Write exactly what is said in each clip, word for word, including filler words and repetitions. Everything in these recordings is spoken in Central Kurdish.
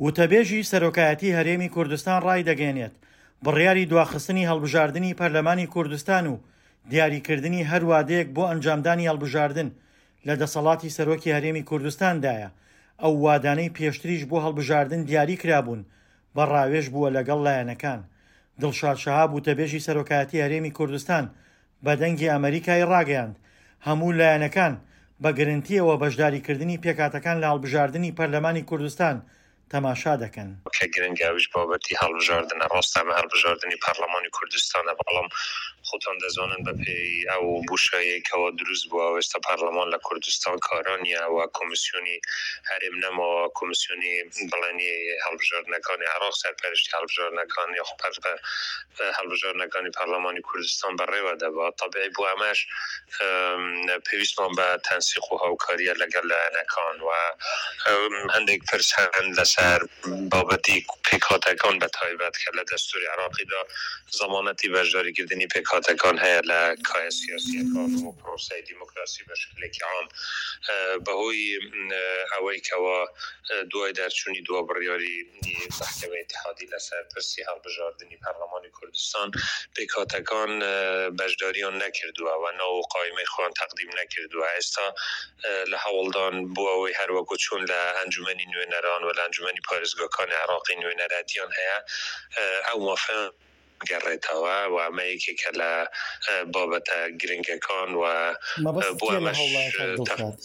وتەبێژی سەرۆکایەتی هەرێمی کوردستان ڕایدەگەیەنێت، بڕیاری دواخستنی هەڵبژاردنی پەرلەمانی کوردستان و دیاریکردنی هەر وادەیەک بۆ ئەنجامدانی هەڵبژاردن لە دەسەڵاتی سەرۆکی هەرێمی کوردستاندایە، ئەو وادانەی پێشتریش بۆ هەڵبژاردن دیاری کرابوون بە ڕاوێژ بووە لەگەڵ لایەنەکان. دڵشاد شەهاب وتەبێژی سەرۆکایەتی هەرێمی کوردستان بە دەنگی ئەمەریکای ڕاگەیاند، هەموو لایەنەکان بە گرنتیەوە بەشداریکردنی پێکهاتەکان لە هەڵبژاردنی پەرلەمانی کوردستان تەماشا دەکەن. کە گرنگە ئەویش بابەتی هەڵبژاردنە، ڕاستە ئەمە هەڵبژاردنی پەرلەمانی کوردستانە، بەڵام خۆتان دەزانن بەپێی ئەو بۆشاییەی کەوا دروست بووە و ئێستا پەرلەمان لە کوردستان کارا نییە و کۆمیسیۆنی هەرێم نەماوە، کۆمیسیۆنی بڵێنی هەڵبژاردنەکانی عێراق سەرپەرشتی هەڵبژاردنەکان یاخود هەڵبژاردنەکانی پەرلەمانی کوردستان بەڕێوە دەبات. تەبیعی بۆ ئەمەش پێویستمان بە تەنسیق و هاوکارییە لەگەڵ لایەنەکان و هەندێک پرس هەن لەسەر بابەتی پێکهاتەکان بە تایبەت کە لە دەستوری عێراقیدا زەمانەتی بەشداریکردنی پێکهاتەکان هەیە لە کایە سیاسییەکان و پرۆسەی دیموکراسی بە شکلێکی عام، بەهۆی ئەوەی کەوا دوای دەرچوونی دوا بڕیاری مەحکەمەی ئیتیحادی لەسەر پرسی هەڵبژاردنی پەرلەمانی کوردستان پێکهاتەکان بەشداریان نەکردووە و ناو و قایمەی خۆیان تەقدیم نەکردووە، ئێستا لە هەوڵدان بۆ ئەوەی هەروەکو چۆن لە ئەنجومەنی نوێنەران و لە ئەنجومەنی پارێزگاکانی عێراقی نوێنەرایەتیان هەیە ئەو مافەیان گەڕێتەوە و ئەمە یەکێکە لە بابەتە گرنگەکان و مەبەست بۆ کێ لە ئەمەش هەوڵەکان دڵشاد؟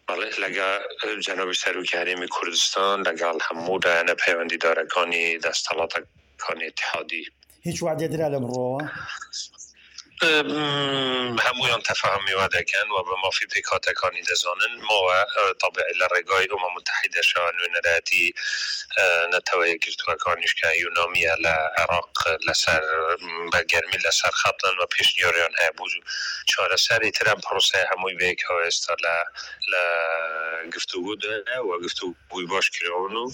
بەڵێ لەگەڵ جەنابی سەرۆکی هەرێمی کوردستان لەگەڵ هەموو لایەنە پەیوەندیدارەکانی دەستەڵاتەکانی ئیتیحادی. هیچ وعدێ درا لەم ڕووەوە؟ هەموویان تەفاهمی وا دەکەن و بە مافی پێکهاتەکانی دەزانن. ماوە تەبیعی لە ڕێگای ئومە متحیدەشەوە نوێنەرایەتی نەتەوە یەکگرتووەکانیش کە یونامیە لە عێراق لەسەر بە گەرمی لەسەر خەتن و پێشنیاریان هەیە بۆ چارەسەری تر. ئەم پرۆسەیە هەمووی بەیەکەوە ئێستا لە لە گفتوگۆدایە و گفتوگۆی باش کراون و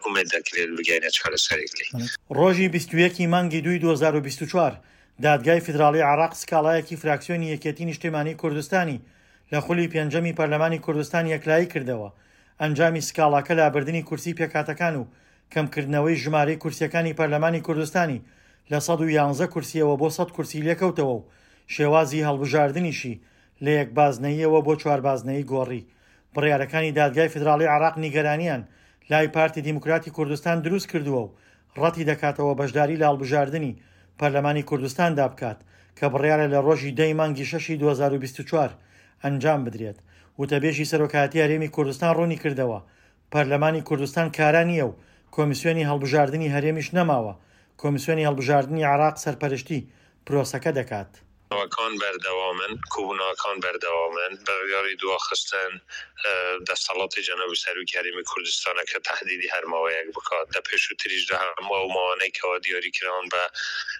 ئومێد دەکرێت بگەینە چارەسەرێک لێ. ڕۆژی بیست و یەک ی مانگی دووی دوو هەزار و بیست و چوار دادگای فیدراڵی عێراق سکاڵایەکی فراکسیۆنی یەکێتی نیشتیمانی کوردستانی لە خولی پێنجەمی پەرلەمانی کوردستان یەکلایی کردەوە. ئەنجامی سکاڵاکە لابردنی کورسی پێکهاتەکان و کەمکردنەوەی ژمارەی کورسیەکانی پەرلەمانی کوردستانی لە سەد و یانزە کورسیەوە بۆ سەد کورسی لێکەوتەوە و شێوازی هەڵبژاردنیشی لە یەک بازنەیەوە بۆ چوار بازنەیی گۆڕی. بڕیارەکانی دادگای فیدراڵی عێراق نیگەرانیان لای پارتی دیموکراتی کوردستان دروست کردووە و ڕەتی دەکاتەوە بەشداری لە هەڵبژاردنی پەرلەمانی کوردستاندا بکات کە بڕیارە لە ڕۆژی دەی مانگی شەشی دوو هەزار و بیست و چوار ئەنجام بدرێت. وتەبێژی سەرۆکایەتی هەرێمی کوردستان ڕوونی کردەوە پەرلەمانی کوردستان کارا نییە و کۆمیسیۆنی هەڵبژاردنی هەرێمیش نەماوە. کۆمیسیۆنی هەڵبژاردنی عێراق سەرپەرشتی پرۆسەکە دەکات. کۆبوونەوەکان بەردەوامن، کۆبوونەوەکان بەردەوامن، بڕیاری دواخستن دەستەڵاتی جەنابی سەرۆکی هەرێمی کوردستانە کە تەهدیدی هەر ماوەیەک بکات. لە پێشووتریشدا هەموو ئەو ماوانەی کەوا دیاری کراون بە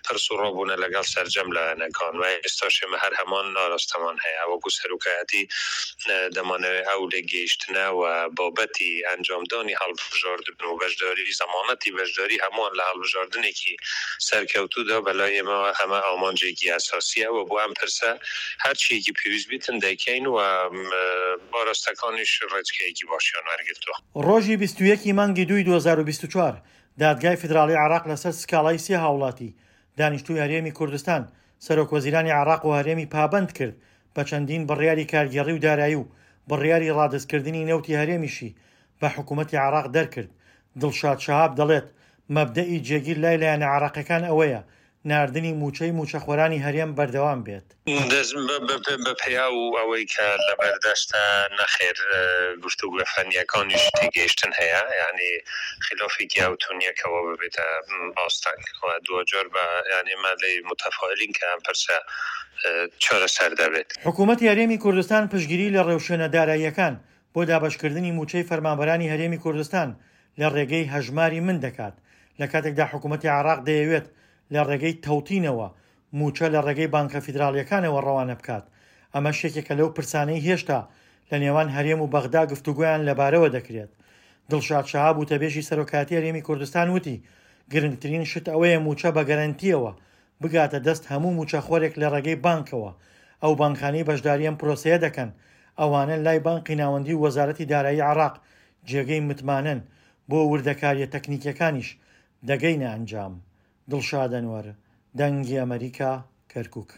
پرس و ڕابوونە لەگەڵ سەرجەم لایەنەکان و ئێستاش ئێمە هەر هەمان ئاراستەمان هەیە. وەکو سەرۆکایەتی دەمانەوێت ئەو لێگەیشتنە و بابەتی ئەنجامدانی هەڵبژاردن و بەشداری زەمانەتی بەشداری هەمووان لە هەڵبژاردنێکی سەرکەوتوودا بەلای ئێمەوە ئەمە ئامانجێکی ئەساسیە و بۆ ئەم پرسە هەرچیەکی پێویست بیتن دەیکەین و ئاراستەکانیش ڕێچکەیەکی باشیان وەرگرتووە. ڕۆژی بیست و یەک ی مانگی دووی دوو هەزار و بیست و چوار دادگای فیدراڵی عێراق لەسەر سکاڵای سێ هاوڵاتی دانیشتووی هەرێمی کوردستان سەرۆک وەزیرانی عێراق و هەرێمی پابەند کرد بە چەندین بڕیاری کارگێڕی و دارایی و بڕیاری ڕادەستکردنی نەوتی هەرێمیشی بە حکوومەتی عێراق دەرکرد. دڵشاد شەهاب دەڵێت مەبدەئی جێگیر لای لایەنە عێراقیەکان ئەوەیە ناردنی موچەی موچەخۆرانی هەرێم بەردەوام بێت. بە پێیا و ئەوەی کە لە بەردەستە نەخێر گفتوگۆ فەنیەکانیش تێگەیشتن هەیە، یعنی خلافێکی ئەوتۆ نییە کەەوە ببێتە ئاستەنگ و دواجار بە یعنی ئێمە لێی متەفائلین کە ئەم پرسە چارەسەر دەبێت. حکوومەتی هەرێمی کوردستان پشتگیری لە ڕێوشوێنە داراییەکان بۆ دابەشکردنی موچەی فەرمانبەرانی هەرێمی کوردستان لە ڕێگەی هەژماری من دەکات، لە کاتێکدا حکوومەتی عێراق دەیەوێت لە ڕێگەی تەوتینەوە موچە لە ڕێگەی بانکە فیدراڵیەکانەوە ڕەوانە بکات. ئەمەش یەکێکە لەو پرسانەی هێشتا لە نێوان هەرێم و بەغدا گفتوگۆیان لەبارەوە دەکرێت. دڵشاد شەهاب وتەبێژی سەرۆکایەتی هەرێمی کوردستان وتی گرنگترین شت ئەوەیە موچە بە گەرەنتیەوە بگاتە دەست هەموو موچەخۆرێک لە ڕێگەی بانکەوە. ئەو بانکانەی بەشداری ئەم پرۆسەیە دەکەن ئەوانە لای بانقی ناوەندی و وەزارەتی دارایی عێراق جێگەی متمانەن، بۆ وردەکارییە تەکنیکییەکانیش دەگەینە ئەنجام. دڵشاد ئەنوەر، دەنگی ئەمەریکا، کەرکوک.